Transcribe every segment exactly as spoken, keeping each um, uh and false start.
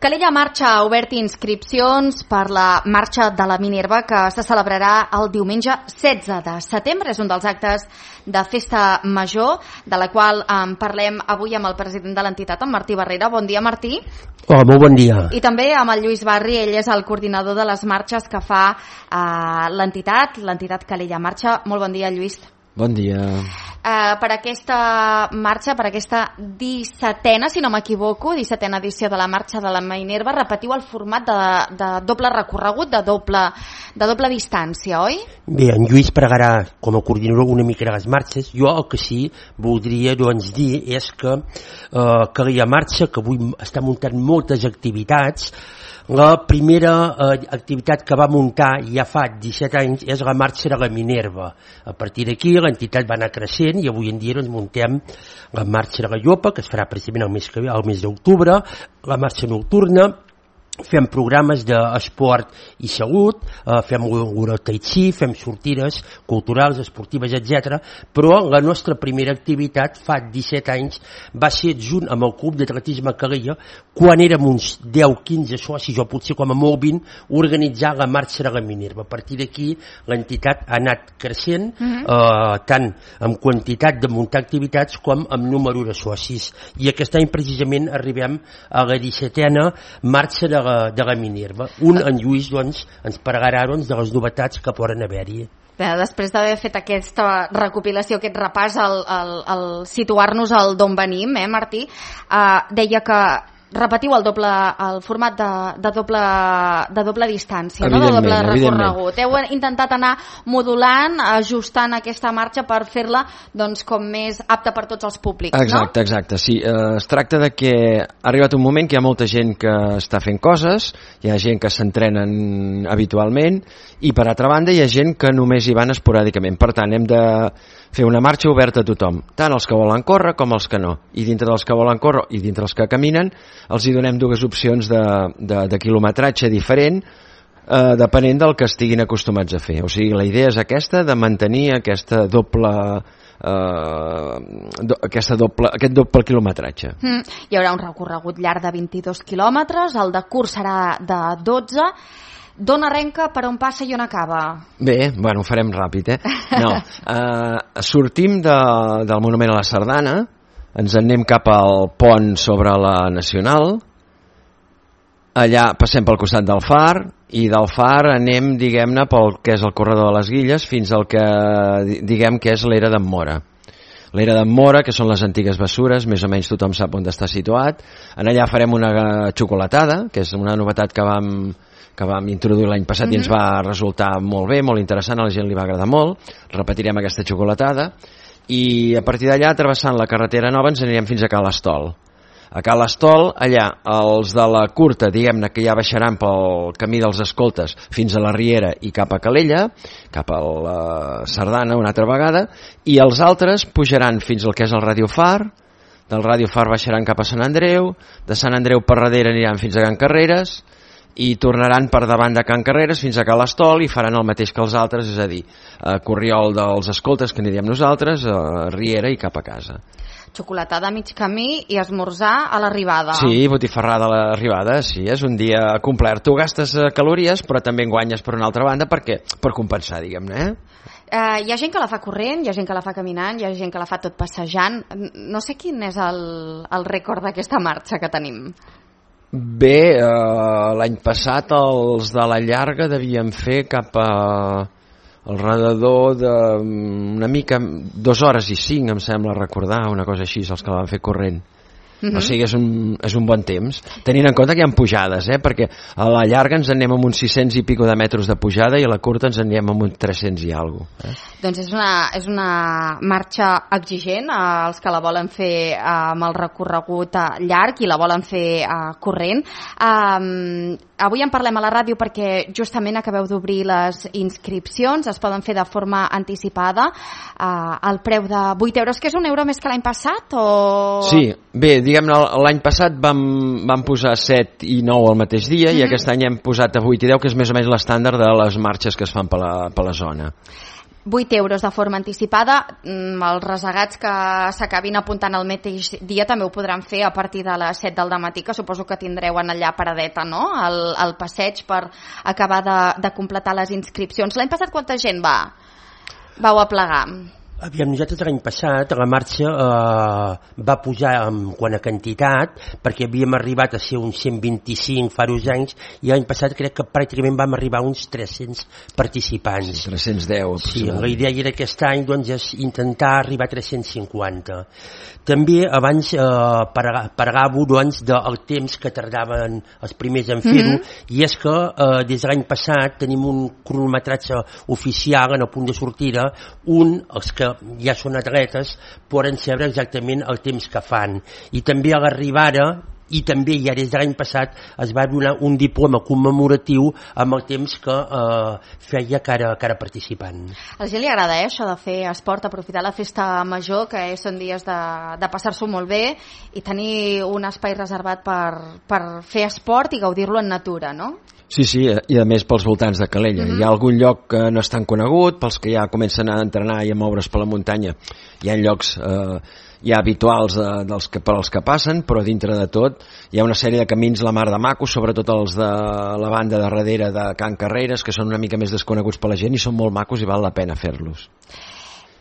Calella Marxa ha obert inscripcions per la Marxa de la Minerva que se celebrarà el diumenge setze de setembre. És un dels actes de festa major, de la qual en parlem avui amb el president de l'entitat, en Martí Barrera. Bon dia, Martí. Hola, molt bon dia. I també amb el Lluís Barri, ell és el coordinador de les marxes que fa eh, l'entitat, l'entitat Calella Marxa. Molt bon dia, Lluís. Bon dia. Uh, per aquesta marxa, per aquesta dissetena, si no m'equivoco, dissetena edició de la Marxa de la Minerva, repetiu el format de, de doble recorregut, de doble, de doble distància, oi? Bé, en Lluís pregarà com a coordinador una mica de les marxes. Jo el que sí voldria doncs, dir és que eh, Calella Marxa, que avui està muntant moltes activitats, la primera eh, activitat que va muntar ja fa disset anys és la Marxa de la Minerva. A partir d'aquí l'entitat va anar creixent i avui en dia doncs, muntem la Marxa de la Llopa, que es farà precisament el mes, que ve, el mes d'octubre, la Marxa Nocturna, fem programes d'esport i salut, eh, fem l'hora tai chi, fem sortides culturals, esportives, etcètera. Però la nostra primera activitat fa disset anys va ser junt amb el Club d'Atletisme Calella, quan érem uns deu quinze socis, o potser com a molt vint, organitzar la Marxa de la Minerva. A partir d'aquí l'entitat ha anat creixent, uh-huh. eh, tant en quantitat de muntar activitats com en número de socis. I aquest any precisament arribem a la dissetena Marxa de la de la Minerva. Un, en Lluís, doncs, ens parlarà doncs, de les novetats que poden haver-hi. Bé, després d'haver fet aquesta recopilació, aquest repàs, el, el, el situar-nos al d'on venim, eh, Martí, eh, deia que repetiu el doble el format de, de, doble, de doble distància, no? De doble recorregut. Heu intentat anar modulant, ajustant aquesta marxa per fer-la doncs, com més apta per tots els públics, exacte, no? Exacte, sí. Eh, es tracta de que ha arribat un moment que hi ha molta gent que està fent coses, hi ha gent que s'entrenen habitualment i per altra banda hi ha gent que només hi van esporàdicament. Per tant, hem de fer una marxa oberta a tothom, tant els que volen córrer com els que no. I dintre dels que volen córrer i dintre els que caminen els hi donem dues opcions de, de, de quilometratge diferent eh, depenent del que estiguin acostumats a fer. O sigui, la idea és aquesta, de mantenir aquesta doble, eh, do, aquesta doble, aquest doble quilometratge. Mm, hi haurà un recorregut llarg de vint-i-dos quilòmetres, el de curs serà de dotze. D'on arrenca, per on passa i on acaba? Bé, bueno, ho farem ràpid, eh? No, eh, sortim de, del Monument a la Sardana, ens en anem cap al pont sobre la Nacional, allà passem pel costat del Far, i del Far anem, diguem-ne, pel que és el corredor de les Guilles, fins al que, diguem, que és l'era d'en Mora. L'era d'en Mora, que són les antigues bessures, més o menys tothom sap on està situat. En allà farem una xocolatada, que és una novetat que vam... que vam introduir l'any passat mm-hmm. i ens va resultar molt bé, molt interessant, a la gent li va agradar molt. Repetirem aquesta xocolatada i a partir d'allà, travessant la carretera nova, ens anirem fins a Ca l'Estol. A Ca l'Estol, allà, els de la curta, diguem-ne que ja baixaran pel camí dels escoltes fins a la Riera i cap a Calella, cap a la Sardana una altra vegada, i els altres pujaran fins al que és el Ràdio Far, del Ràdio Far baixaran cap a Sant Andreu, de Sant Andreu per darrere aniran fins a Can Carreres, i tornaran per davant de Can Carreres fins a Ca l'Estol i faran el mateix que els altres, és a dir, a Corriol dels Escoltes, que n'hi diem nosaltres, a Riera i cap a casa. Xocolatada a mig camí i esmorzar a l'arribada. Sí, botifarrada a l'arribada, sí, és un dia complet. Tu gastes calories, però també en guanyes per una altra banda, perquè per compensar, diguem-ne, eh? Uh, hi ha gent que la fa corrent, hi ha gent que la fa caminant, hi ha gent que la fa tot passejant. No sé quin és el, el rècord d'aquesta marxa que tenim. Bé, eh, l'any passat els de la llarga devien fer cap a alrededor d'una mica, dues hores i cinc, em sembla recordar, una cosa així, els que la van fer corrent. Uh-huh. O sigui, és un, és un bon temps, tenint en compte que hi ha pujades, eh? Perquè a la llarga ens anem amb uns sis-cents i pico de metres de pujada i a la curta ens anem amb uns tres-cents i alguna cosa. Eh? Doncs és una, és una marxa exigent, eh, els que la volen fer eh, amb el recorregut eh, llarg i la volen fer eh, corrent. Eh, avui en parlem a la ràdio perquè justament acabeu d'obrir les inscripcions, es poden fer de forma anticipada, eh, al preu de vuit euros, que és un euro més que l'any passat? O... Sí, bé, diguem-ne, l'any passat vam, vam posar set i nou al mateix dia, mm-hmm. i aquest any hem posat a vuit i deu, que és més o menys l'estàndard de les marxes que es fan per la, per la zona. vuit euros de forma anticipada. Els resegats que s'acabin apuntant el mateix dia també ho podran fer a partir de les set del dematí, que suposo que tindreu en allà paradeta, no?, el, el passeig per acabar de, de completar les inscripcions. L'any passat quanta gent va, vau aplegar? Aviam, nosaltres l'any passat la marxa eh, va pujar en quant a quantitat, perquè havíem arribat a ser uns cent vint-i-cinc fa dos anys, i l'any passat crec que pràcticament vam arribar a uns tres-cents participants. tres-cents deu. Sí, la idea d'aquest any doncs, és intentar arribar a tres-cents cinquanta. També abans eh, parlàveu doncs, del temps que tardaven els primers en fer-ho, mm-hmm. i és que eh, des de l'any passat tenim un cronometratge oficial en el punt de sortida, un, els que ja són atletes, poden saber exactament el temps que fan. I també a l'arribada, i també ja des de l'any passat, es va donar un diploma commemoratiu amb el temps que eh, feia cada, cada participant. A la gent li agrada, eh, això de fer esport, aprofitar la festa major, que són dies de, de passar-s'ho molt bé, i tenir un espai reservat per, per fer esport i gaudir-lo en natura, no? Sí, sí, i a més pels voltants de Calella. Mm-hmm. Hi ha algun lloc que no és tan conegut, pels que ja comencen a entrenar i a moure's per la muntanya. Hi ha llocs eh, ja habituals eh, dels que, per als que passen, però dintre de tot hi ha una sèrie de camins la mar de macos, sobretot els de la banda de darrere de Can Carreres, que són una mica més desconeguts per la gent i són molt macos i val la pena fer-los.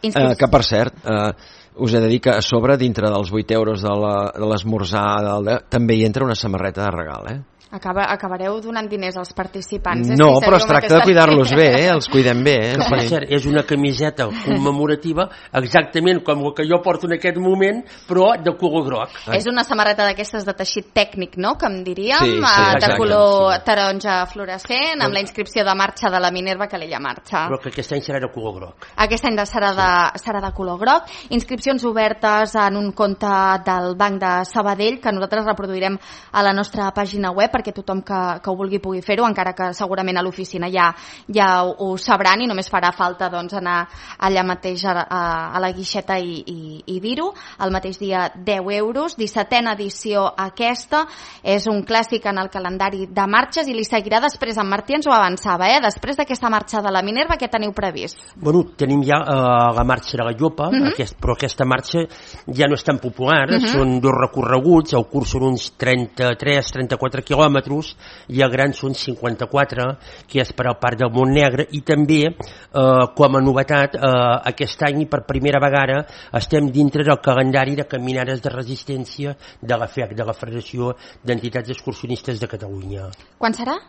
Eh, que per cert, eh, us he de dir que a sobre, dintre dels vuit euros de l'esmorzar, també hi entra una samarreta de regal, eh? Acaba, acabareu donant diners als participants. No, però es tracta de cuidar-los bé, eh? Els cuidem bé. Eh? Que per cert, és una camiseta commemorativa exactament com el que jo porto en aquest moment, però de color groc. És una samarreta d'aquestes de teixit tècnic, no?, que em diríem, sí, sí, de color sí. taronja fluorescent, amb la inscripció de marxa de la Minerva Calella Marxa. Però que aquest any serà de color groc. Aquest any serà de, serà de color groc. Inscripcions obertes en un compte del Banc de Sabadell, que nosaltres reproduirem a la nostra pàgina web, perquè tothom que, que ho vulgui pugui fer-ho, encara que segurament a l'oficina ja, ja ho, ho sabran i només farà falta doncs, anar allà mateix a, a, a la guixeta i, i, i dir-ho. El mateix dia deu euros, dissetena edició aquesta, és un clàssic en el calendari de marxes i li seguirà després. En Martí ens ho avançava, eh? Després d'aquesta marxa de la Minerva, què teniu previst? Bueno, tenim ja uh, la marxa de la Llopa, uh-huh. aquest, però aquesta marxa ja no és tan popular, uh-huh. són dos recorreguts, el curs són uns trenta-tres trenta-quatre quilòmetres, i el gran són cinquanta-quatre, que és per al Parc del Montnegre, i també, eh, com a novetat, eh, aquest any per primera vegada estem dintre del calendari de caminades de resistència de la F E C, de la Federació d'Entitats Excursionistes de Catalunya. Quan serà?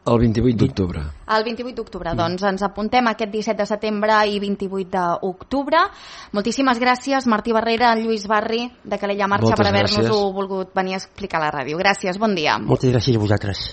El vint-i-vuit d'octubre. El vint-i-vuit d'octubre, mm. doncs ens apuntem aquest disset de setembre i vint-i-vuit d'octubre. Moltíssimes gràcies, Martí Barrera, Lluís Barri, de Calella Marxa, Moltes per haver-nos-ho gràcies. volgut venir a explicar a la ràdio. Gràcies, bon dia. Moltes gràcies a vosaltres.